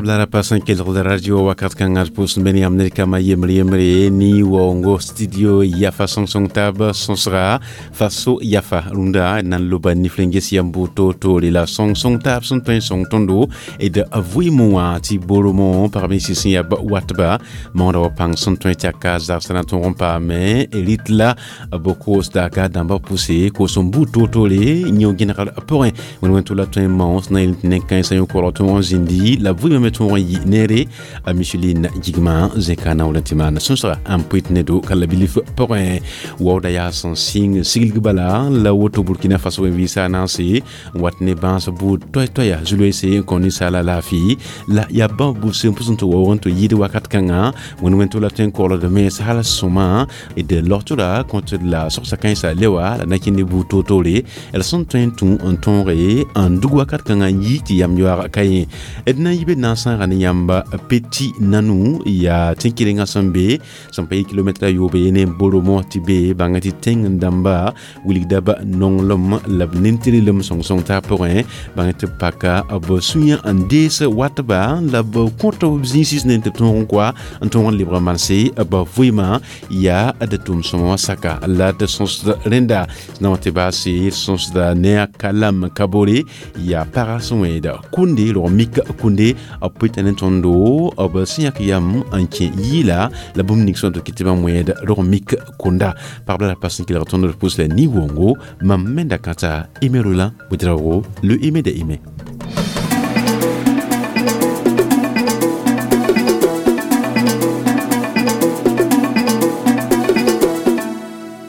La pasan kelgd radio wakat kãngã d pʋʋsd be ne yãmb ned kama yembre yembre ne waoongo studio yafa sõng-sõng taab sõsga faso yafa rũndã d na n loba nifl n ges yam buud toor-toore la sõng-sõng taab sẽn tõe n sõng tõndo d vɩɩmẽ wã tɩ boromõ pagb ninsẽ sẽn yaa watba maoodã wa pãng sẽn tõe tɩ a ka zagsã na tõog n paame rɩt la b koosda ka dãmbã pʋse koos n buud toor-toore yõ gẽnegr pʋgẽ wẽn wẽn tʋ la tõe n maoos na yel tɩ nen-kãensã yõ korg tõog n zĩndi la vɩɩmã me tõog n yɩ neere a Micheline Gigma zẽka na wala tɩ maan sõsga n pʋɩt ne do ka la bilf pʋgẽ waooda yaa sẽn sɩng siglg bala la woto Burkina Faso n vɩɩsa a naanse n wat ne bãas buud toay-toaya zu-loeese n kõ ninsaala laafɩ la yaa bãmb buud sẽn pʋs n tɩ waoog n tɩ yɩɩd wakat kãngã wẽnd wẽn tʋ la tõe n kogld mens hal sõma d logtora kõt la sogsa kãensã lewa la na kẽnd ne buud toor-toore d sẽn tõe n tũ n tõoge n dug wakat kãngã n yi tɩ yam yoaag ka yẽ d na n yi be na n sãaga ne yãmba Petit Nanou yaa tẽn-kɩrenga sẽn be sẽn pa yɩ kilomɛtra yoobe ne Boromo tɩ be bãnga tɩ tẽng n dãmba wilgda b nonglem la b nin-tɩrlem sõng-sõng taab pʋgẽ bãng tɩ b paka b sũyã n dees watba la b kõt b zĩig ne tɩ b tõog n koa n tõog n lebg n manse b vɩɩmã yaa d tʋʋm-sõma wã saka la d sõsd rẽnda na wã tɩ baase sõsda ne a kalam kabore yaa paga sẽn wẽeda kũnde rog mik kũnde b pʋɩta ne tõndo b sẽn yãk yam n kẽ yɩɩla la bũmb ning sẽn tɩ kɩ tɩ bãmb wẽed rog mik kũnda pagb la ra pas n kelg tõnd d pʋs la ni-wongo mam menda kãta Aimé Roland Ouedraogo le Aimé de Aimé.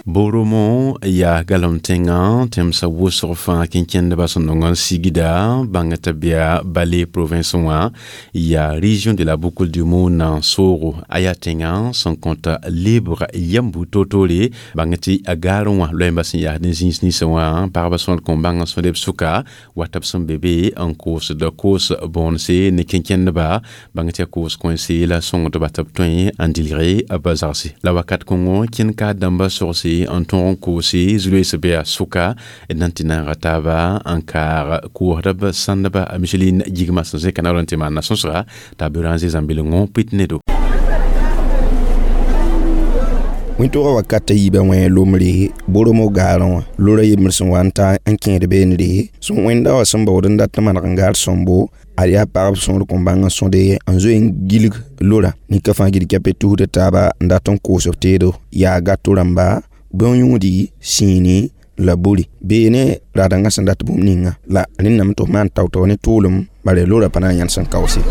Boromo yaa galem tẽngã tẽmsã wʋsg fãa kẽn-kẽndbã sẽn nong n sigda bãng tɩ bɩa Balé province wã yaa région de la Boucle du Mouhoun n soogo a yaa tẽngã sẽn kõta lebg yam buud toor-toore bãng tɩ a gaarẽ wã loɛɛmbã sẽn yaasd ne zĩis ninsẽ wã pagba sõd kõn bãng n sõdb sʋka wat b sẽn be be n koosd koos bõonse ne kẽn-kẽndba bãng tɩ yaa koos kõense la sõngdba tɩ b tõe n dilge b zagse la wakat kõngo kẽnd ka dãmbã sogse n tõog n koose zu-loees be a sʋka d na n tɩ naaga taaba n kaag koosdb sãndba a Micheline Gigma sẽn zẽka naoor n tɩ maan sõsga t'a beoorã n zẽ zãmbilengõ pɩt ne do. Wẽn-toogã wakat a yiibã wẽ lombre Boromo gaarẽ wã lora yembr sẽn wa n ta n kẽed beendre sẽn wẽnda wã sẽn baood n dat n maneg n gaar sõmbo ad yaa pagb sõor kõn bãng n sõde n zoe n gilg lora nika fãa gil kɛpɛ tusda taaba n dat n koos b teedo yaa gato rãmba bõn-yũudi sĩini la buri beene raadãngã sẽn dat bũmb ninga la rẽndame tɩ f maan tao-tao ne tʋʋlem bare lora pa na n yãnd sẽn kaoose.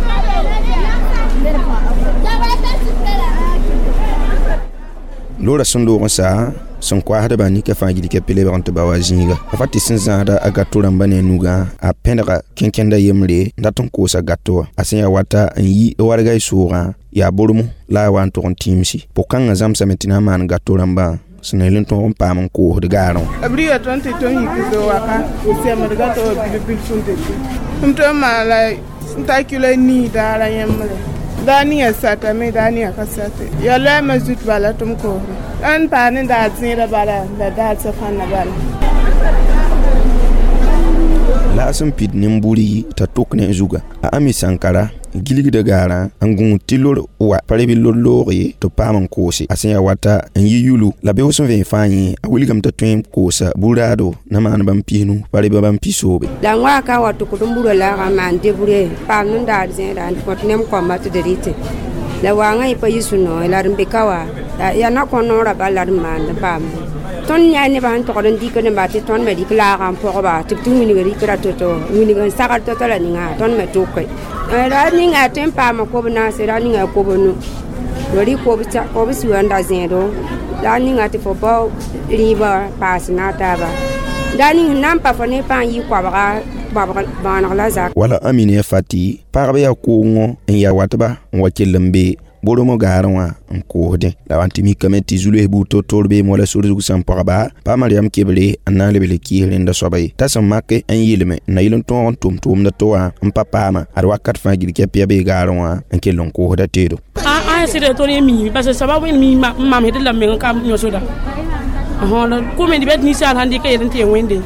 Lora sẽn loog n sa sẽn koasdbã nika fãa gil kɛpɛ lebg n tɩ ba wa zĩiga a fa tɩ sẽn zãasda a gato rãmbã ne a nugã a pẽdga kẽn-kẽnda yembre n dat n koosa gato wã a sẽn yaa wata n yi wargay soogã yaa Boromo la a wa n tʋg n tĩimsi pʋg-kãngã zãmsame tɩ na n maan gato rãmbã sẽn na yel n tõog n paam n koosd gaarẽ wã. B rɩga tõnd tɩ tõnd yik zo waka semd gato wã bil-bil sẽn dete m tõe n maan la n ta kilo nii daara yẽmbre daa ninga satame daa ninga ka sate ya loɛɛmã zut bala tɩ m koosde n paa ne daar zẽedã bala la daar safãnna bala. La a sẽn pid nin-buri t'a tok ne zuga a Ami Sankara gilgda gaarã n gũud tɩ lor wa pa reb lor looge tɩ paam n koose a sẽn yaa wata n yi yulu la beoog sẽn vẽen fãa yẽ a wilgame t'a tõe n koosa bu-raado na maan bãmb pisnu pa reb bãmb pisoobe. La n wa ka wa tʋkd n burã laagã n maan debre paam n daar zẽeda n kõt nem kõmba tɩ d rɩtẽ la waangã yẽ pa yi sũ-noog la d n be ka wa yaa na kõ noorã bala la d n maand n paam tõnd yaa nebã sẽn togd n dɩk neba tɩ tõnd me dɩk laagã n pɔgba tɩ b tɩ wilg rɩkra to-to wilg n sagr to-to la ninga tõnd me tʋke ra ninga tõe n paama kob naase ra ninga kob nu rɩ kob siwã n da zẽedo la ninga tɩ fo bao rĩibã paas na taaba da ning sẽn na n pa fo ne pãa n yɩ koabga bãaneg la zak. Wala Amine Fati pagb yaa koongõ n yaa watba n wa kell n be Boromo gaarẽ wã n koosdẽ la wa n tɩ mikame tɩ zu-loees buud toor-toor beem wala sor zug sẽn pagba pa Mariam Kebre n na n leb le kɩɩs rẽnda soaba ye t'a sẽn mak n yeelame n na yel n tõog n tʋm tʋʋmda tɩ wã n pa paama ad wakat fãa gil kɛp yaa bee gaarẽ wã n kell n koosda teedo. A sɩda tõnd ye miime parce que soaba wẽnd mi n mamsd la meng ka yõsda kʋm d bɛd ninsaal sãn dɩka yel n tɩ yen wẽnde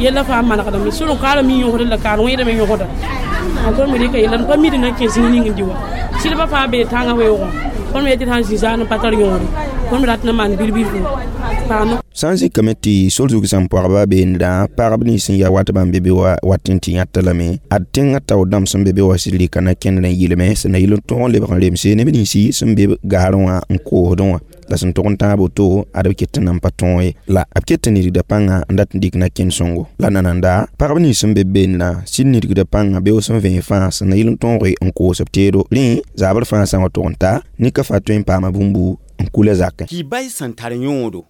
Yɛlla fãa manegdame sʋd n kaara mi yõsd la kaar wẽedame yõsda. Tõnd me rɩka yella pa mid na kẽ zĩig ning n dɩ wa. Sɩdbã fãa bee tãngã weoogẽ. Tõnd me yetɩ sã n zĩ zaanẽ pa tar yõore. Tõnd me rat n maan bilbilfu. Paam. Sã n zikame tɩ sor zug sẽn pɔgba beendã pagb nins sẽn ya wat bãmb be be wa wat n tɩ yãta lame ad tẽngã tao dãmb sẽn be be wa sɩd rɩka na kẽndr n yɩlme sẽn na yɩl n tõg n lebg n remse neb ninsi sẽn be gaarẽ wã n koosdẽ wã la sẽn tʋg n tãag woto ad b ket n nan pa tõog ye la b ket n nidgda pãnga n dat n dɩk na kẽnd sõngo la nananda pagb nins sẽn be beendã sɩd nidgda pãnga beoog sẽn vẽe fãa sẽn na yɩl n tõoge n koos b teedo rẽ zabr fãa sã n wa tʋg n ta nika fa tõe n paama bũmbu n kula zakẽ. Ki-bay sẽn tar yõodo.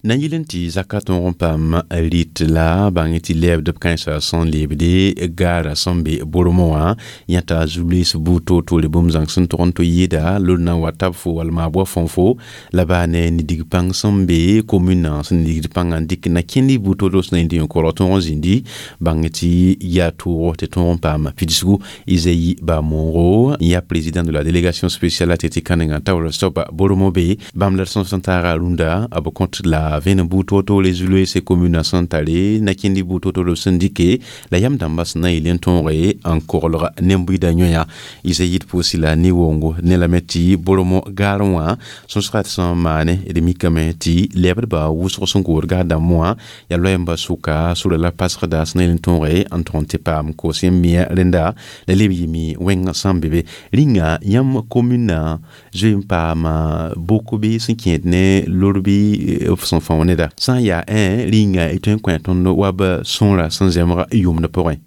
Na yɩl n tɩ zaka tõog n paam rɩt la bãng tɩ lɛɛbd b kãensã sẽn lebde gaara sẽn be bormõ wã yãta zu-loees buud toor-toore bũmb zãng sẽn tog n tɩ yɩɩda lor na n wa tab fo wall maa-bʋa fõn fo la baa ne nidig pãng sẽn be komuna sẽn nigd pãngã n dɩk na kẽnd buud toor-toor sẽn na yĩnd yõ-korg tõog n zĩndi bãng tɩ yaa tʋʋgo tɩ tõog n paam pidsgu. Isaïe Bamongo yaa président de la délégation spéciale a tɩ kãnengã taoor soaba bormõ be bãmb la d sõs n taaga rũndã b kõt la vẽenem buud toor-toore zu-loeese komuna sẽn tare na kẽnd buud toor-toor sẽn dɩke la yam dãmbã sẽn na n yɩl n tõoge n koglg nen-buiidã yõya. Isaïe d pʋʋs la ne-wongo ne lame tɩ bormõ gaarẽ wã sõsga d sẽn maane d mikame tɩ lɛbdbã wʋsg sẽn kood gaar dãmb wã yaa loɛɛmbã sʋka sʋra la pasgda sẽn na yɩl n tõoge n tõg n tɩ paam koos n mia rẽnda la leb yɩme wẽng sẽn be be rĩnga yãmb komuna zoe n paama boko bɩ sẽn kẽed ne lor bɩ f sẽn fão neda sã n yaa ẽ rĩnga y tõe n kõ tõnd wa b sõora sẽn zẽmg yʋmd pʋgẽ.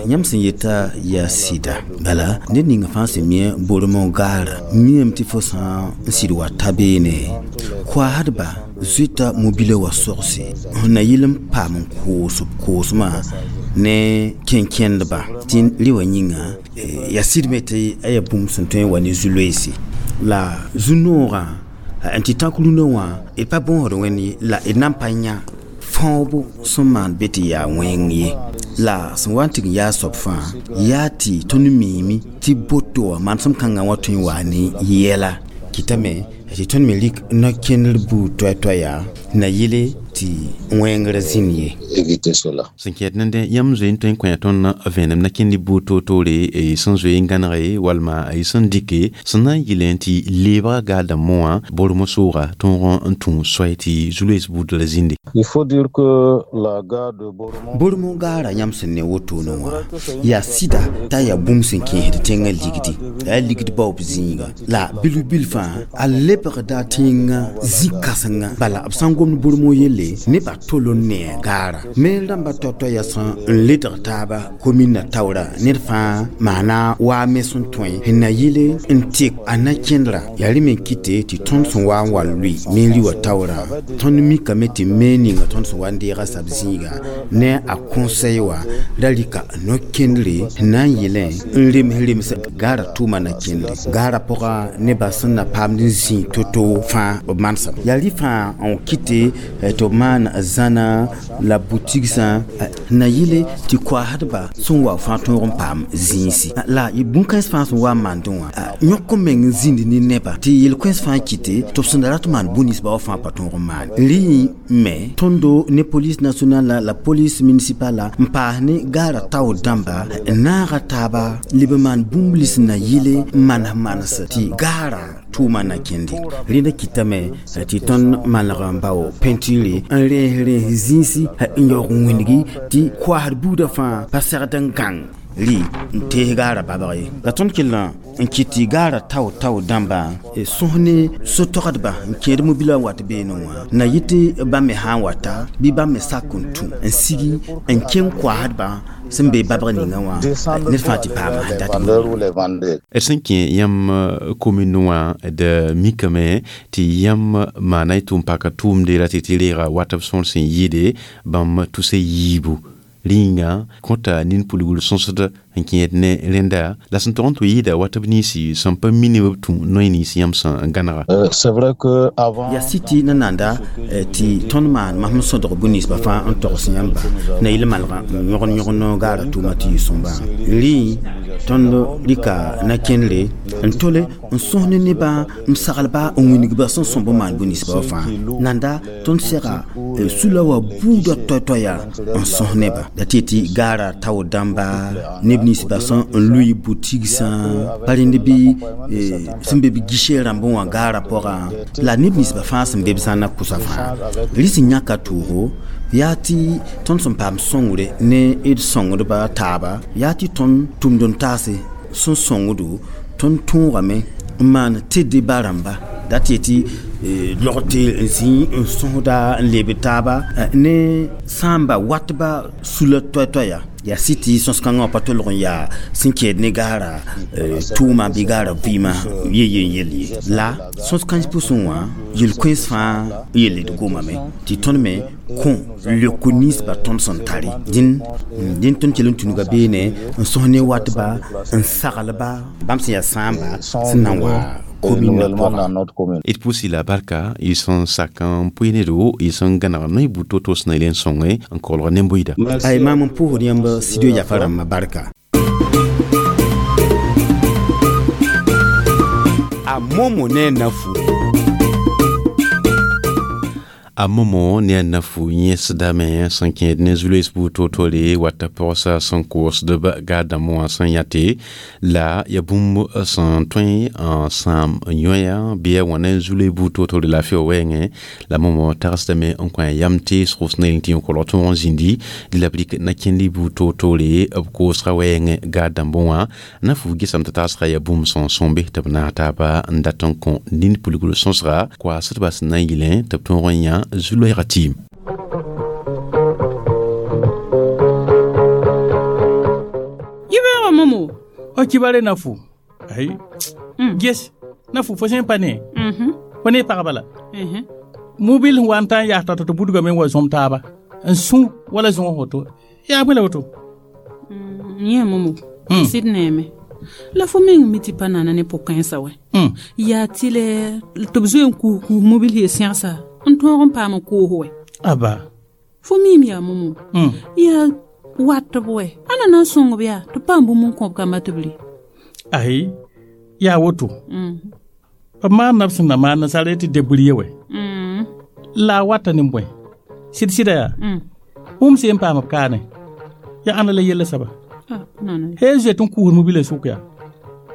Yãmb sẽn yeta yaa sɩda bala ned ninga fãa sẽn mi bormõ gaara miame tɩ fo sã n sɩd wa ta beene koaasdba zoeta mobila wa sogse n na yɩl n paam n koos b koosmã ne kẽn-kẽndba tɩ rɩ wã yĩnga yaa sɩdme tɩ a yaa bũmb sẽn tõe n wa ne zu-loeese la zu-noogã n tɩ tãk rũnã wã d pa bõosd wẽnd ye la d nan pa yã fãoobo sẽn maan be tɩ yaa wẽng ye la sẽn wa n tɩg n yaa soab fãa yaa tɩ tõnd miime tɩ boto wã manesem kãngã wã tõe n waa ne yɛla kɩtame tɩ tõnd me rɩk no-kẽndr buud toɛ-toɛya na yɩle tɩ wẽngr zĩnd ye. Sẽn kɛɛd nende yãmb zoe n tõe n kõ tõnd vẽenem na kẽnd buud toor-toore sẽn zoe n gãnege walma sẽn dɩke sẽn na n yɩlẽ tɩ leebga gaar dãmbẽ wã bormõ sooga tõog n tũ soay tɩ zu-loees buud la zĩnde. Bormõ gaara yãmb sẽn ne wotone wã yaa sɩda t'a yaa bũmb sẽn kẽesd tẽngã ligdi la yaa ligd baoob zĩiga la bilf-bilf fãa a lebgda tẽngã zĩ-kãsenga bala b sã n gomd bormõ yelle nebã tol n ne a gaara me rãmba tao-tao yaa sẽn n ledg taaba komina taoora ned fãa maana waa me sẽn tõe n na yɩle n tɩk a na-kẽndrã yaa rẽ me n kɩte tɩ tõnd sẽn wa n wa lʋɩ me n rɩ wã taoorã tõnd mikame tɩ me ninga tõnd sẽn wa n deega sab zĩiga ne a conseil wã ra rɩka no-kẽndre n na n yɩlẽ n rems rems gaara tʋʋma na-kẽndre gaara pʋga nebã sẽn na paamd n zĩ to-to fãa b manesem yaa rɩ fãa n kɩte tɩ b maan zãna la butigsã na yɩle tɩ koaasdba sẽn wa fãa tõog n paam zĩisi la bũn-kãens fãa sẽn wa n maandẽ wã yõk n meng n zĩnd ne nebã tɩ yel-kãens fãa kɩte tɩ b sẽn da rat n maan bũn-ninsba wã fãa pa tõog n maan rẽ me tõndo ne police nationale la police municipale n paas ne gaara tao dãmba n naaga taaba leb n maan bũmb lins na yɩle n manes manes tɩ gaara tʋʋma na kẽnde rẽnda kɩtame tɩ tõnd maneg n bao peinture n rẽes rẽes zĩisi n yaoog n wĩndgi tɩ koaasd buudã fãa pa segd n gãng rɩ n tees gaara babg ye la tõnd kell n kɩt tɩ gaara tao-tao dãmba sõs ne so-togdba n kẽed mobila n wat beene wã na yɩ tɩ bãmb me sã n wata bɩ bãmb me sak n tũ n sigi n kẽng koaasdbã sẽn be babg ninga wã ned fãa tɩ paam sẽn dat. D sẽn kẽ yãmb commune wã d mikame tɩ yãmb maana y tʋʋm paka tʋʋmde ra tɩ tɩ reega wat b sõor sẽn yɩɩde bãmb tʋsa yiibu rĩnga kõta nin pulgr sõsd n kẽed ne rẽnda la sẽn tog n tɩ yɩɩda wa tɩ b ninsi sẽn pa mi ne b tũ noy nins yãmb sẽn gãnega. C'est vrai que avant yaa sɩ tɩ nananda tɩ tõnd maan masem sõdg bũ-ninsbã fãa n togs yãmba na yɩl malgã n yõgd yõgd gaara tʋʋma tɩ yɩ sõmbã rɩ tõnd rɩka na-kẽndre n tole n sõs ne nebã n saglba n wĩnigba sẽn sõmb n maan bũ-ninsbã wã fãa nanda tõnd sega sula wã buudã toay-toaya n sõs neba la tɩ tɩ gaara tao dãmba neb ninsbã sẽn n lʋɩ butigsã pa rẽnd bɩ sẽn be b guichet rãmbẽ wã gaara pʋgã la neb ninsbã fãa sẽn be b zãnna kʋsa fãa rɩ sẽn yãka toogo yaa tɩ tõnd sẽn paam sõngre ne d sõngdba taaba yaa tɩ tõnd tʋmd n taase sẽn sõngdo tõnd tõogame n maan tɩ ba rãmba da tɩ tɩ log tɩ n zĩ n sõsda n leb taaba ne sãamba watba sula toay-toaya yaa sɩ tɩ sõs-kãngã wã pa tolg n yaa sẽn kɛɛd ne gaara tʋʋma bɩ gaara vɩɩmã ye-ye n yel ye la sõs-kãens pʋsẽ wã yel-kõens fãa yelle d gomame tɩ tõnd me kõ leoko ninsbã tõnd sẽn tare dĩn tõnd kell n tũnuga beene n sõs ne watba n saglba bãmb sẽn yaa sãamba sẽn na n wa commune d pʋʋsi la barka y sẽn sak n pʋɩ nedo y sẽn gãneg noy bud to-to sẽn na yel n sõnge n kolg ne-bʋɩda. Ay maam n pʋʋsd yãmb studio yafa rãmbã barka. A momo ne nafu. A momo ne a nafu yẽsdame sẽn kẽed ne zu-loees buud to-tore wata pɔgsa sẽn koosdb gaar dãmb wã sẽn yãte la ya bũmb sẽn tõe n sãam yõya bɩ a wãna zu-loe buud to-tore laafɩ wã wɛɛngẽ la momo tagsdame n kõ a yam teesgo sẽn na yel tɩ kolg tõog n zĩndi dɩ la b rɩk na-kẽndi buud to-tore b koosga wɛɛngẽ gaar dãmb wã nafu gesame tɩ tagsga yaa bũmb sẽn sõmbe tɩ b naag taaba n dat n kõ nin pulgr sõsga koaasdbã sẽn na n yɩlẽ tɩ b tõog n yã zu-loɛɛga tɩɩm. Yibeoogã momo. O kibare nafu ay ges nafu fo sẽn pa ne fo ne pagba la mobil wa n tã n yaas t'a tɩ budgame n wa zõm taaba n sũ wala zõog woto yaa bõe la woto. Yẽ momo sɩd neeme la fo meng mi tɩ pa nana ne pʋ-kãensã wɛ yaa tɩ lɛ tɩ b zoe n kuus mobil ye sẽgsa n tõog n paam n koos wɛ. Aba fo miim yaa momo yaa wat b wɛ a na na n sõng b yaa tɩ paam bũmb n kõb kamba tɩ b rɩ. Ai yaa woto b maanda b sẽn na maan nasaar tɩ debrouiller wɛ la a wata ne bõe sɩd sɩda yaa bũmb sẽn n paam b kaane yaa ãnda la yella saba hee zoet n kuus mobila sʋk yaa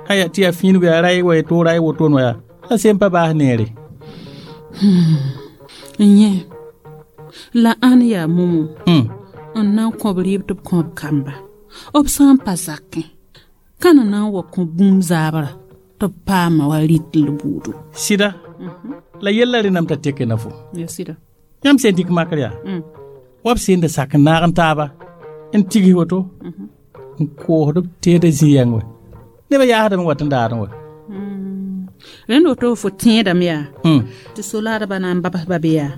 aya tɩ yaa fĩingo yaa ray wa to ray wotone wa yaa la sẽn pa baas neere. N yẽ la ãn yaa momo n na n kõb rɩɩb tɩ b kõb kamba b sã n pa zakẽ ka na na n wa kõ bũmb zaabra tɩ b paama wa rɩt l buudo. Sɩda la yella rẽndame t'a teke na fo. Ya sɩda. Yãmb sẽn dɩk makr yaa wa b sẽn da sak n naag n taaba n tigis woto n koosd b teeda zĩ-yɛng wɛ nebã yaasdame wat n daadẽ wɛ. Rẽnd woto fo tẽedame yaa tɩ soladbã na n babsba be yaa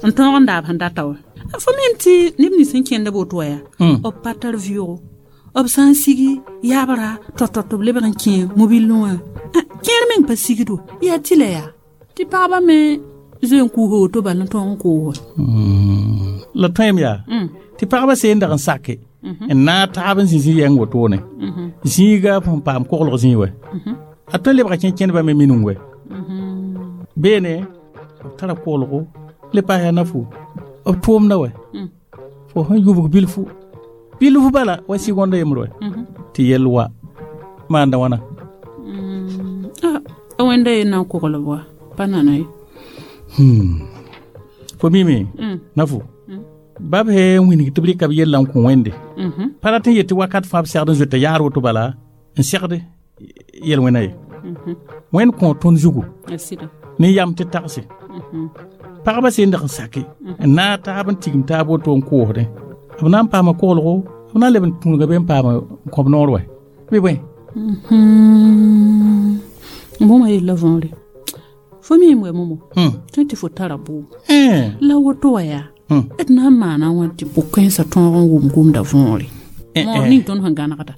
n tõog n daab sẽn data wã fo mem tɩ neb nins sẽn kẽnd b woto wã yaa b pa tar vɩʋgo b sã n sigi yaabra tɔ-tɔ tɩ b lebg n kẽ mobilẽ wã kẽer meng pa sigdo yaa tɩ la yaa tɩ pagba me zoe n kuusa woto bala n tõog n koos. La tõem yaa tɩ pagba seen dag n sake n naag taab n zĩ zĩ-yɛng wotone zĩiga sẽn paam koglg zĩig wɛ a tõe n lebga kẽn-kẽndbã me minung wɛ beene b tara koglgo le paas yaa nafu b tʋʋmda wɛ fo sẽn yubg bilfu bilfu bala wa segonda yembr wɛ tɩ yell wa maanda wãna. A wẽnda ye na n koglb wa pa nana ye. Fo mime nafu bab he n wĩneg tɩ b rɩka b yella n kõ wẽnde pa rat n yet tɩ wakat fãa b segd n zoeta yaar woto bala n segd yel-wẽna ye wẽnd kõ tõnd zugu ne yam tɩ tagse pagba sẽn dag n sake n naag taab n tigim taab woto n koosdẽ b na n paama koglgo b na n leb n tũnuga be n paam n kõb noor wɛ bɩ bõe. Bõmba yella võore fo miim wɛ momo tõe tɩ fo tara bʋʋm la woto wã yaa d na n maana wã tɩ pʋ-kãensã tõog n wʋm gomda võore moor ning tõnd sẽn gãnegda.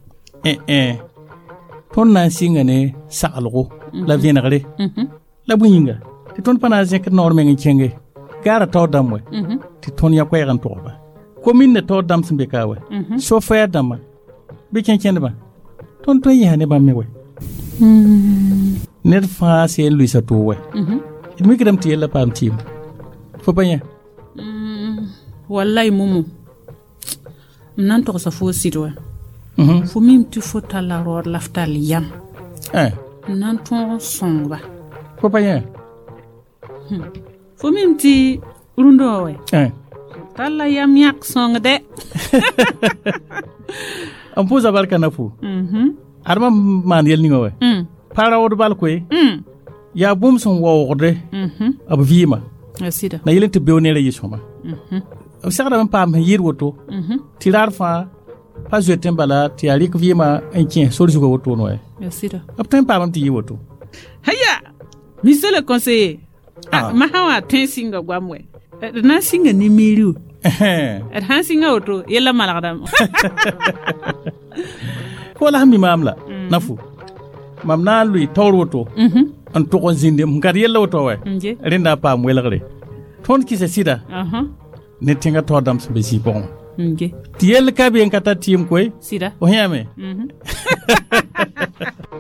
Tõnd na n sɩnga ne saglgo la vẽnegre la bõe yĩnga tɩ tõnd pa na n zẽkd naoor meng n kẽnge gaara taoor dãmb wɛ tɩ tõnd yã koɛɛg n togba komin taoor dãmb sẽn be ka wɛ sofɛɛr dãmbã bɩ kẽn-kẽndbã tõnd tõe n yẽsa ne bãmb me wɛ ned fãa seen luɩsa too wɛ d mikdame tɩ yella paam tɩɩm fo pa yẽ Wallahi mumu, m na n togsa fo sɩd wɛ. Fo mim tɩ fo talla raood la f tall yam n na n tõog n sõngba. Fo pa yẽ. Fo mim tɩ rũndã wã wɛ talla yam yãk sõng dɛ. N pʋʋsa barka na fo adma maan yɛl ninga wɛ pa raood bal koe yaa bũmb sẽn waoogde b vɩɩmã na yel n tɩ beo neerã yɩ sõma b segdame n paam sẽn yɩɩd woto tɩ raar fãa pa zoetẽ bala tɩ yaa rɩk vɩɩmã n kẽ sor zugã wotone wɛ b tõe n paamame tɩ yɩ woto. Haya, monsieur le conseiller, ah. Masã wã tõe n sɩnga goam wɛ d na n sɩnga ne meri d sãn sɩnga woto yella malgdame. Fo la sẽn mi maam la na fo mam na n lʋɩ taoor woto n tʋg n zĩnde n kad yella woto wɛ rẽnda n paam welgre tõnd kɩsa sɩda ne tẽngã taoor dãmb sẽn be zĩig pʋgẽ wã tɩ yell ka be n ka tar tɩɩm koe fo yãame.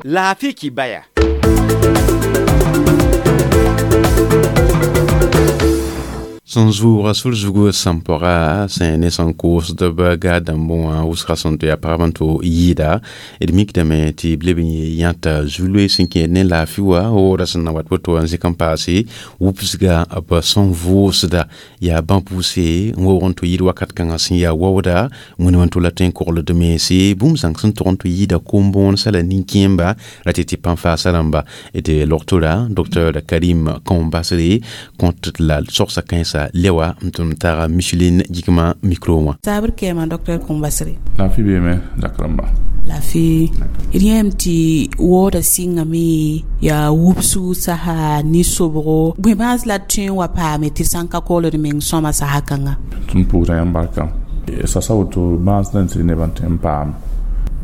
Laafɩ kibaya. Sẽn zʋʋga sor zugu sẽn pɔga sẽn ne sẽn koosd b gaa dãmbẽ wã wʋsga sẽn tɩ yaa pagb n tɩ yɩɩda d mikdame tɩ b leb n yãta zu-loe sẽn kẽed ne laafɩ wa woora sẽn na wat woto n zɩk n paase wʋbsga b sẽn vʋʋsda yaa bã-pʋʋse n waoog n tɩ yɩɩd wakat kãngã sẽn yaa waooda wẽnem n tʋ la tõe n kogld mense bũmb zãng sẽn tog n tɩ yɩɩda kom-bõonesã la nin-kẽemba ra tɩ tɩ pãn-faasa rãmba d logtora Dr Karim Kõm-Basre kõt la sogsa kãensa lewa n tʋm taga Micheline Gikma micro wã. Sabr kɛɛma Dr Kõm-Basre. Laafɩ beeme zakr rãmba. Laafɩ d yẽem tɩ waooda sɩngame yaa wubsgu sasa ne sobgo bõe bãas la d tõe n wa paame tɩ sã n ka kogld meng sõma sasa kãnga. Tõnd pʋʋsda yãmb barka sasa woto bãas na n tɩ nebã tɩ n paam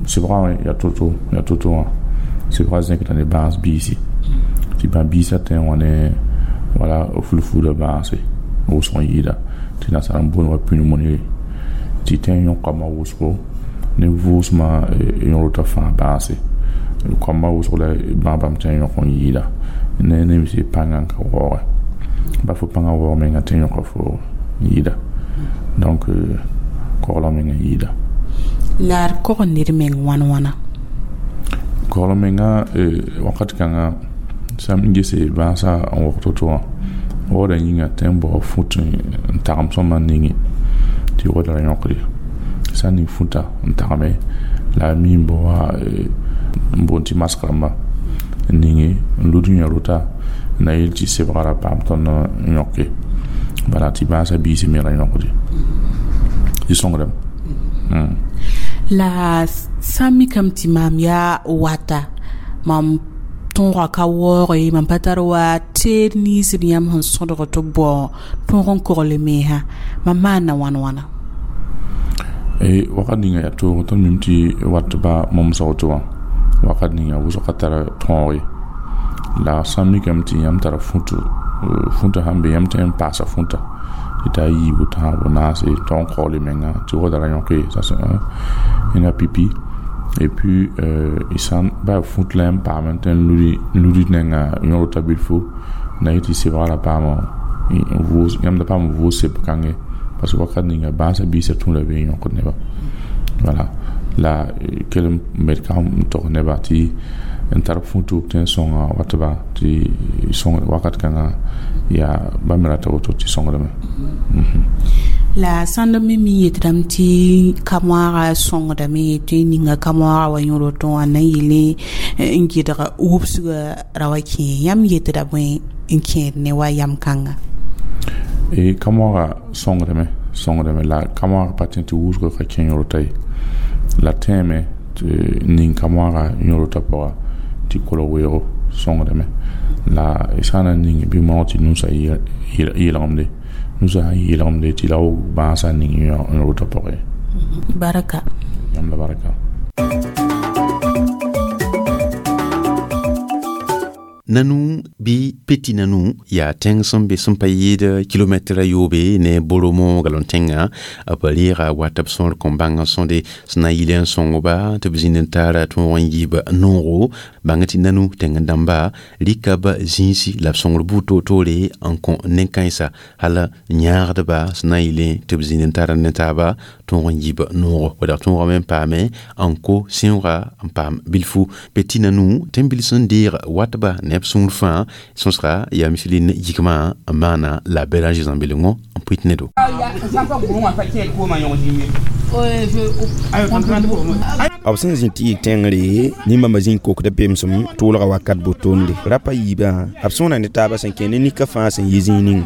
sɩbgã wã yaa to-to wã sɩbgã zẽkda ne bãas biisi tɩ bã-biisã tẽ wã ne wala fulfuda bãase wʋsg n yɩɩda tɩ nasaar n boond wa pneumonie tɩ tẽ n yõk koamã wʋsgo ne vʋʋsmã yõrta fãa bãase koamã wʋsg la bãag bãmb tẽ n yõk n yɩɩda ne nemse pãngã n ka waooge ba fo pãngã waoog menga tẽ n yõka fo n yɩɩda donc koglg meng n yɩɩda. La d kog ned meng wãn wãna? Koglg menga wakat kãngã sã n gese bãasã n wog to-to wã waooda yĩnga tẽ n bao fut n tagem sõma n ninge tɩ waoodã ra yõkde sã n ning futa n tagme la a mi n bao wa n boond tɩ mask rãmba n ninge n lud yẽ rota na yel tɩ sebga ra paam tõnd n yõke bala tɩ bãasã biisi me ra yõkde tɩ sõngdame. La sã n mikame tɩ maam yaa wata mam tõoga ka waooge mam pa tar wa teed ninsd yãmb sẽn sõdg tɩ b bao tõog n kogl mensã mam maana wãn wãna? Wakat ninga yaa toog tõnd mim tɩ wat ba momsg woto wã wakat ninga wʋsg ka tar tõog ye la sã n mikame tɩ yãmb tara fũta sãn be yãmb tõe n paasa fũta tɩ t'a yiibu tãabo naase tɩ n kogl menga tɩ waoodã ra yõke ça c'est un ẽnga pipi et puis y sãn ba fũt la yãmb paam n tõe n ludi nenga yõrta bilfu na yetɩ sebga ra paam yãmb da paam n vʋʋs seb kãnge parce que wakat ninga bãasã biisã tũuda be n yõkd neba voilà la kell n med ka n tog neba tɩ n tar fũtu tɩ n sõnga watba tɩ sõng wakat kãngã yaa bãmb me rata woto tɩ sõngdame. La sãnd me mi yetdame tɩ ka-moaaga sõngdame tɩ ninga ka-moaaga wa yõd woto wã na n yele n gɩdg wubsgã ra wa kẽ yãmb yetda bõe n kẽed ne wa yam kãnga? Ka-moaaga sõngdame la ka-moaaga pa tẽ tɩ wʋsg ka kẽ yõrta ye la tẽeme tɩ ning ka-moaaga yõrta pʋga tɩ kolg weoogo sõngdame la sã n na ning bɩ moog tɩ nusã yeelgemde nusã sã n yeelgemde tɩ la wʋg bãasã ning yõrta pʋgẽ. Baraka. Yãmb la baraka. Nanu bɩ peti nanu yaa tẽng sẽn be sẽn pa yɩɩd kilomɛtra a yoobe ne Boromo galon tẽngã. B reega wat b sõor kõn bãng n sõde sẽn na n yɩl n sõngba tɩ b zĩnd n tara tõog n yiib noogo. Bãng tɩ nanu tẽng dãmba rɩka b zĩisi la b sõngr buud toor-toore n kõ nen-kãensã hal n yãagdba sẽn na n yɩlẽ tɩ b zĩnd n tar ne taaba tõog n yiib noogo. Wala tõogame n paame n ko sẽooga n paam bilfu. Peti nanu tẽn-bil sẽn deeg watba ne b sũur fãa sõsga yaa miselin yikmã n maana la Béranger zãmbelengo n pʋɩt ne do. B sẽn zĩ tɩ yɩ tẽngre nin-bãmba zĩ n kokda pemsem tʋʋlga wakat botonde rapa yiibã b sõona ne taabã sẽn kẽ ne nika fãa sẽn yi zĩig ninga.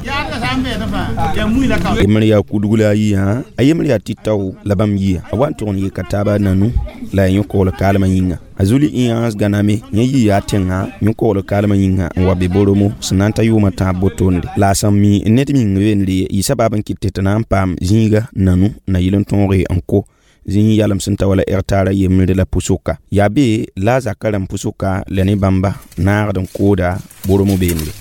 Yembr yaa kudg la a yiyã, a yembr yaa tɩ-tao la bãmb yia a wa n tʋg n yeka taaba nanu la a yõ-kogl kaalmã yĩnga. A zuli ĩyãs gãname yẽ yɩ yaa tẽngã yõ-kogl kaalmã yĩnga n wa be Boromo sẽn na n ta yʋʋmã tãab botonde. La a sẽn mi ned ming beendre yɩ sabab n kɩt tɩ na n paam zĩiga nanu na yɩl n tõoge n ko zĩig yalem sẽn ta wala hectare yembre la pʋsʋka. Yaa be la a zaka rãmb pʋsʋka la ne bãmba naagd n kooda Boromo beendre.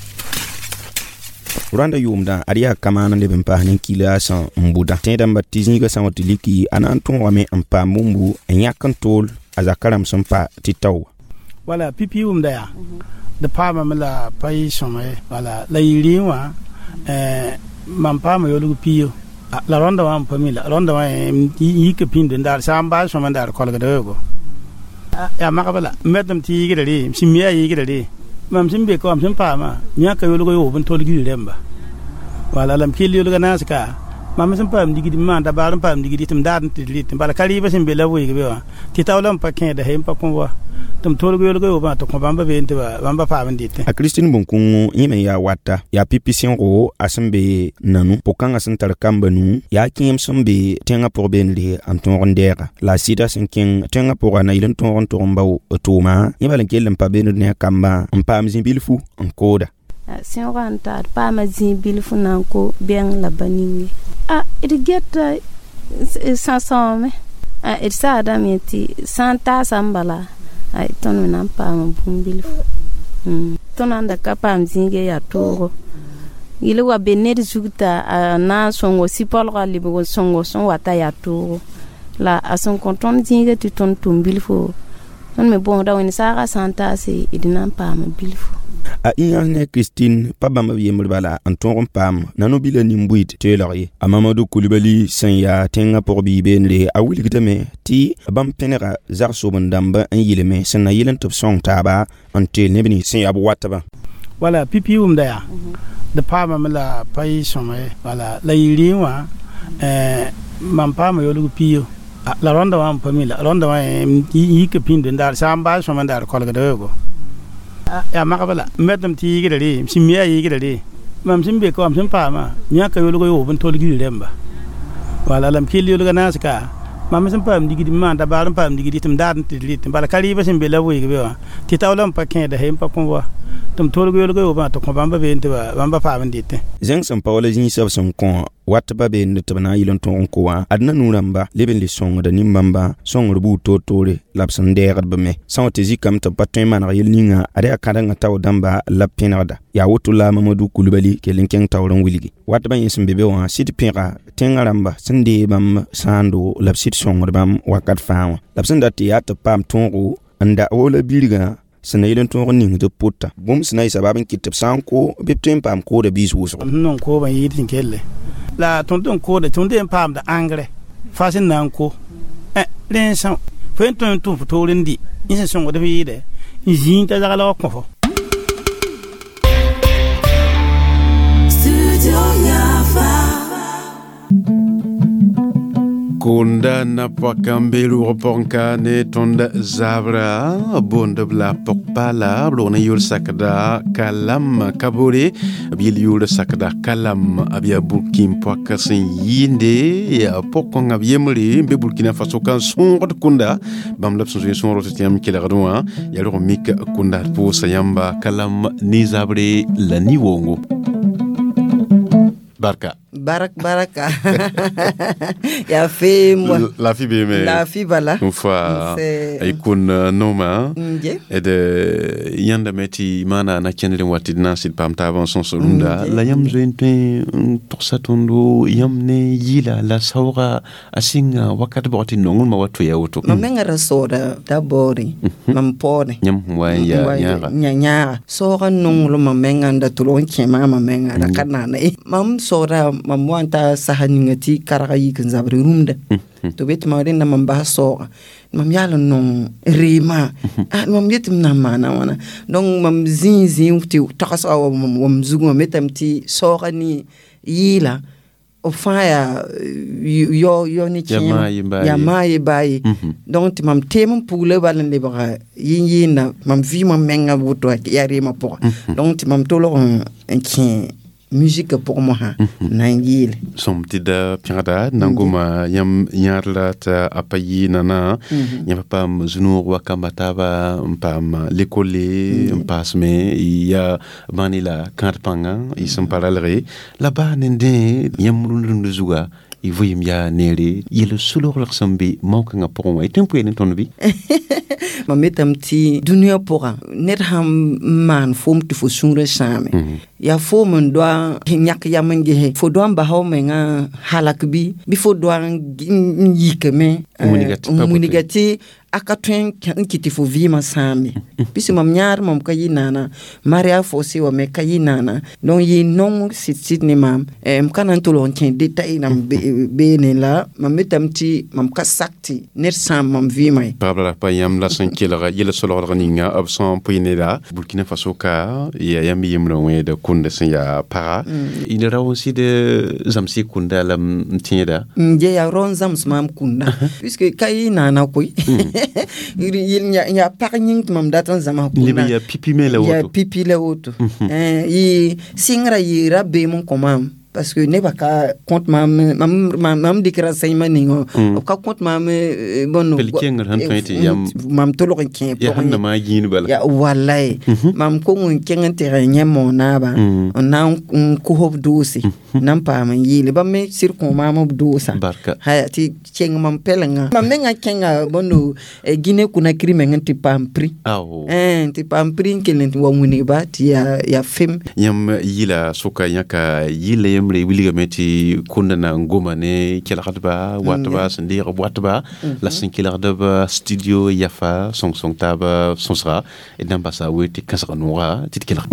Rwanda yʋʋmdã ad yaa kamaan n leb n paas nin-kila sẽn n bʋdã. Tẽedãmba tɩ zĩigã sã n wa tɩ liki a na n tõogame n paam bũmbu n yãk n tool a zaka rãmb sẽn pa tɩ tao. Wala pipi wʋmda yaa d paamame la pa yɩ sõma ye. Wala la yɩ rɩẽ wã mam paama yolg piyo la rõnda wã n pa mi la rõnda wã yik pĩnd n daar sã n baas sõma n daar kolgda weoogo. Yaa magba la m metame tɩ yɩɩgda ree, m sẽn mi yaa yɩɩgda ree. Mam sẽn be ka wã m sẽn paama yãka yolg yoob n tolg rẽmba. Wala la m kell yolga naas ka mam sẽn paam digd m maan dabaar n paam digd tɩ m daad n tɩ rɩt bala ka rɩɩbã sẽn be la b weeg be wã tɩ taola n pa kẽeda he n pa kõ wa tɩ m tolg yolga yoobã tɩ kõ bãmba been tɩ bãmba paam n dɩtẽ. A Christine Bõn-kũngo yẽ me yaa wata yaa pipi sẽogo a sẽn be nanu pʋg-kãngã sẽn tar kamba nu yaa kẽem sẽn be tẽngã pʋg beendre n tõog n dɛɛga. La a sɩda sẽn kẽng tẽngã pʋga na yɩl n tõog n tʋg n bao tʋʋma yẽ bal n kell n pa beend ne a kambã n paam zĩ-bilfu n kooda. Sẽoogã n taar paama zĩig bilfu na n ko bɛng la ba ninge. A d geta sãsãoome d saadame tɩ sã n taasa n bala tõnd me na n paama bũmb bilfu. Tõnd sãn da ka paam zĩigã yaa toogo. Yɩl wa be ned zug t'a a na n sõngo sɩ-paoolgã lebg n sõngo sẽn wata yaa toogo. La a sẽn kõ tõnd zĩigã tɩ tõnd tʋm bilfo tõnd me bõosda wẽnd saagã sã n taase d na n paama bilfu. A ĩyãs ne Christine pa bãmb b yembr bala n tõog n paam nanu bila nin-buiid teelg ye. A Mamadou Coulibaly sẽn yaa tẽngã pʋg-biig beendre a wilgdame tɩ bãmb pẽnega zag-sobend-dãmba n yɩlme sẽn na yɩl n tɩ b sõng taaba n teel neb nins sẽn yaa b watbã. Wala pipi wʋmda yaa d paamame la pa yɩ sõma ye. Wala la yɩ rɩẽ wã mam paama yolg piyo la rõnda wã n pa mi la rõnda wã yik pĩnd n daar sã n baas sõma n daar kolgda weoogo. Yaa magba la m metame tɩ yɩɩgda ree, m sẽn mi yaa yɩɩgda ree. Mam sẽn be ka wã m sẽn paama yãka yolg yoob n tolg rẽmba. Wala la m kell yolga naas ka mam sẽn paam digd m maan dabaar n paam digd tɩ m daad n tɩ rɩt bala ka rɩɩbã sẽn be la b weeg be wã tɩ taola n pa kẽeda he n pa kõ wa tɩ m tolg yolga yoobã tɩ kõ bãmba been tɩ bãmba paam n dɩtẽ. Zẽng sẽn pa wala zĩig soab sẽn kõ watba beende tɩ b na n yɩl n tõog n ko wã ad nanu rãmba leb n le sõngda nin-bãmba sõngr buud toor-toore la b sẽn dɛɛgd b me. Sã n wa tɩ zikame tɩ b pa tõe n maneg yel ninga ad yaa kãdengã tao dãmba la b pẽnegda. Yaa woto la Mamadou Coulibaly kell n kẽng taoor n wilgi. Watbã yẽ sẽn be be wã sɩd pẽga tẽngã rãmba sẽn deeg bãmb sãando la b sɩd sõngd bãmb wakat fãa wã. La b sẽn dat tɩ yaa tɩ b paam tõogo n da wala birgã sẽn na yɩl n tõog n ning tɩ b pʋta. Bũmb sẽn na yɩ sabab n kɩt tɩ b sã n ko bɩ b tõe n paam kooda biis wʋsgo. M sẽn koobã yɩɩd sẽn kelle la tõnd n kooda tõnd n paamda engrais fa sẽn na n ko rẽ n são fo n tõe n tʋm fo toor n dɩ yẽ sẽn sõngd f yɩɩdɛ n zĩig t'a zagl wa kõ fo. Kunda na pɔka n be rʋʋg pʋgẽ ne tõnd zabra boond b la pɔg-paala b rog ne yʋʋr sakda Kalam Kabore b yel yʋʋr sakda Kalam b yaa burkin pɔka sẽn yɩɩnde yaa pɔg-kõngã b yembre n be Burkina Faso ka n sõogd kunda bãmb la b sẽn zoe sõor tɩ yãmb kelgd wã yaa rog n mik kunda d pʋʋsa yãmba Kalam ne zabre la ni-woongo barka. Barak baraka. Ya fem la fi be me. La fi bala. Une fois ikun noma. Ed yãnda me tɩ maana na kẽndr n wa tɩ d na n sɩd paam taabã n sõs rũndã la yãmb zoe n tõe n togsa tõndo yãmb ne yɩɩla la saooga a sɩnga wakat bʋg tɩ nonglmã wa toya woto. Mam mengã ra soooda d'abord mam paoodẽ yãmb sẽn wa n yaa yãaga. Yãaga saooga nonglmã mengã n da tʋlg n kẽ maamã mengã ra ka naana ye. Mam soooda mam wa n ta sasa ninga tɩ karga yik n zabr rũmda tɩ b yetɩ mam rẽnda mam bas saooga mam yaal n nong reemã mam yetɩ m na n maana wãna. Donc mam zĩig zĩig tɩ tagsga wa mam zugẽ mam yetame tɩ saooga ne yɩɩla b fãa yaa yao ne kẽema yaa maa ye baa ye. Donc tɩ mam teem n pugla bal n lebga yɩn-yɩɩnda mam vɩɩmã mengã woto yaa reemã pʋga. Donc tɩ mam tolg n kẽ musique pʋgẽ mosã na n yeele. Sõm tɩ da pẽgda nan goma yãmb yãad la t'a a pa yɩ nana yãmb pa paam zu-noog wa kamba taaba n paam lekole n paasme yaa bãni la kãad pãnga y sẽn pa ralge la baa nendẽ yãmb rũnd-rũnd zuga y vɩɩm yaa neere yel solgrg sẽn be mao-kãngã pʋgẽ wã y tõe n poe ne tõnd bɩ? Mam yetame tɩ dũniyã pʋgã ned sãn maan foom tɩ fo sũurã sãame yaa foom n doa yãk yam n gese fo doa n basa f mengã halak bɩ fo doa n yikame n wilga tɩ a ka tõe n kɩ tɩ fo vɩɩmã sãame pis mam yãad mam ka yɩ naana maria fose wa me ka yɩ naana. Donc yɩ nong sɩd-sɩd ne maam m ka na n tolg n kẽ detail nan beene la mam yetame tɩ mam ka sak tɩ ned sãam mam vɩɩmã ye. Pagb la pa yãmb la sẽn kelg yel solgrg ninga b sẽn pʋɩ neda Burkina Faso ka yaa yãmb yembrã wẽed kũnda sẽn yaa paga y rao n sɩd zãmsɩ kũnda la m tẽeda n yaa rao n zãms maam kũnda puisque ka yɩ naana koe yaa pag yĩng tɩ mam dat n zãms kũnda yaa pipi me la woto yaa pipi la woto yɩ sɩngrã yɩ ra beem n kõ maam parce que nebã ka kõt maam mam dɩk renseignement ninga b ka kõt maam bõn mam tolg n kẽ pʋgẽ walay mam kong n kẽng n tɩg n yẽ monaabã n na n kos b doose na n paam n yeele bãmb me sɩd kõ maam b doosa haya tɩ kẽng mam pɛlenga mam mengã kẽnga bõndo Guinée Conakry meng n tɩ paam prix tɩ paam prix n kell n wa wilgba tɩ yaa fem. Yãmb yɩla sʋka yãka yɩla yembre wilgame tɩ kũnda na n goma ne kelgdba watba sẽn deeg b watba la sẽn kelgdb studio yafa sõng-sõng taab sõsga d na n basa we tɩ kãsg nooga tɩ d kelg.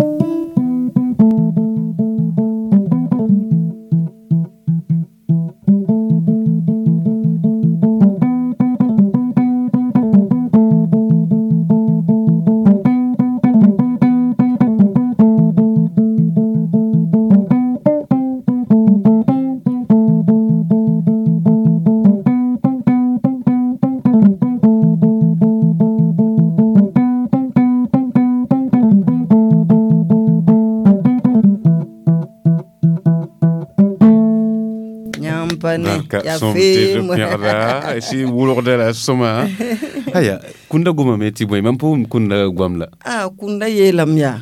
Si wʋlgda la sõma aya kũnda gomame tɩ bõe mam pa wʋm kũnda goam la a kũnda yeelame yaa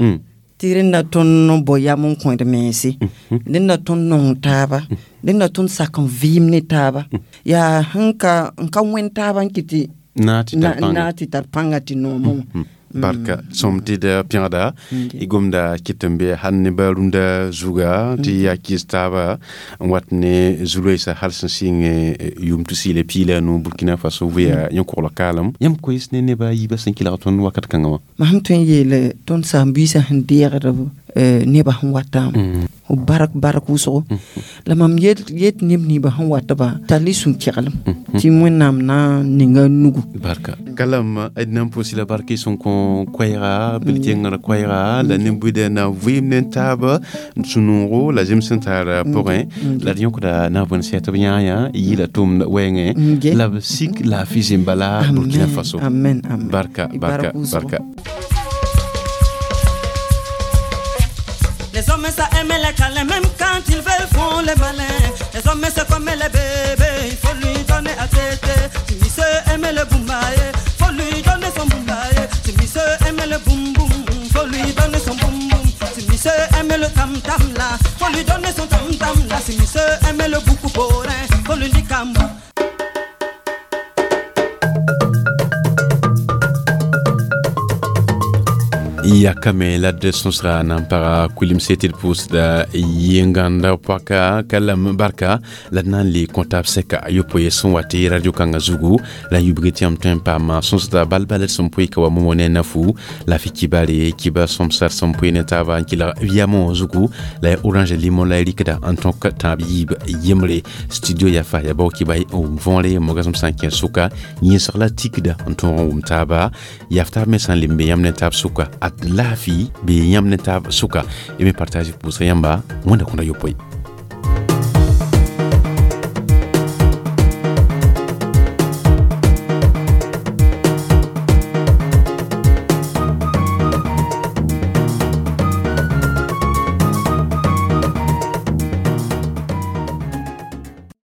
tɩ rẽnda tõnd n bao yam n kõed mense rẽnda tõnd nong taaba rẽnda tõnd sak n vɩɩm ne taaba yaa sẽn ka n ka wẽnd taaba n kɩ tɩ na tɩ tar pãnga tɩ noomã wã. Barka sõm tɩ d pẽgda y gomda kɩt n be hal ne ba rũndã zuga tɩ yaa kɩs taaba n wat ne zu-loeesã hal sẽn sɩng yʋʋm tʋ-sɩɩla piig la a nu Burkina Faso vɩa yẽ-koglg kaalem yãmb koees ne neba a yiibã sẽn kelg tõnd wakat kãngã wã. Mam sẽn tõe n yeele tõnd saam-biisã sẽn deegd nebã sẽn watã b bark bark wʋsgo la mam yet neb nimbã sẽn watba tall y sũ-keglem tɩ Wẽnnaam na n ninga nugu. Barka kalam d na n pʋʋs la bark y sẽn kõ koɛɛga bil-kẽngr koɛɛga la nin-buidã na vɩɩm ne taaba sũ-noogo la zems sẽn tar pʋgẽ la d yõkda na bõe sɛ tɩ b yãa yɩɩla tʋʋmd wɛɛngẽ la b sik laafɩ zĩm-bala Burkina Faso. Amen. Barka barka barka. Les hommes ça aime les câlins, même quand ils veulent font les malins. Les hommes c'est comme les bébés, il faut lui donner à téter. Si monsieur aime le boumbaye, faut lui donner son boumbaye. Si monsieur aime le boum boum, faut lui donner son boum boum. Si monsieur aime le tam tam là, faut lui donner son tam tam là. Si Si monsieur aime le beaucoup borin, faut lui dire kambou. Yakame la d sõsga na n paga kulimse tɩ d pʋʋsda yẽnganda paka kalam barka la d na n le kõ taab sɛka a yopoe sẽn wa tɩ radio kãngã zugu la n yubg tɩ yãmb tõe n paama sõsda bal-bal d sẽn pʋɩ ka wa momo ne nafu la fɩ kibare kiba sõmsar sẽn pʋɩ ne taaba n kɩlg yamõ zugu la ya orange limon la y rɩkda n tõk tãab yiib yembre studio yafa ya bao kiba n wʋm võore mogasem sã n kẽ sʋka yẽsg la tikda n tõog n wʋm taaba yaf taab me sã n lembe yãmb ne taab sʋka ad laafi bɩ yãmb ne taab sʋka y me partage pʋʋsga yãmba wẽnda kõda yopoe.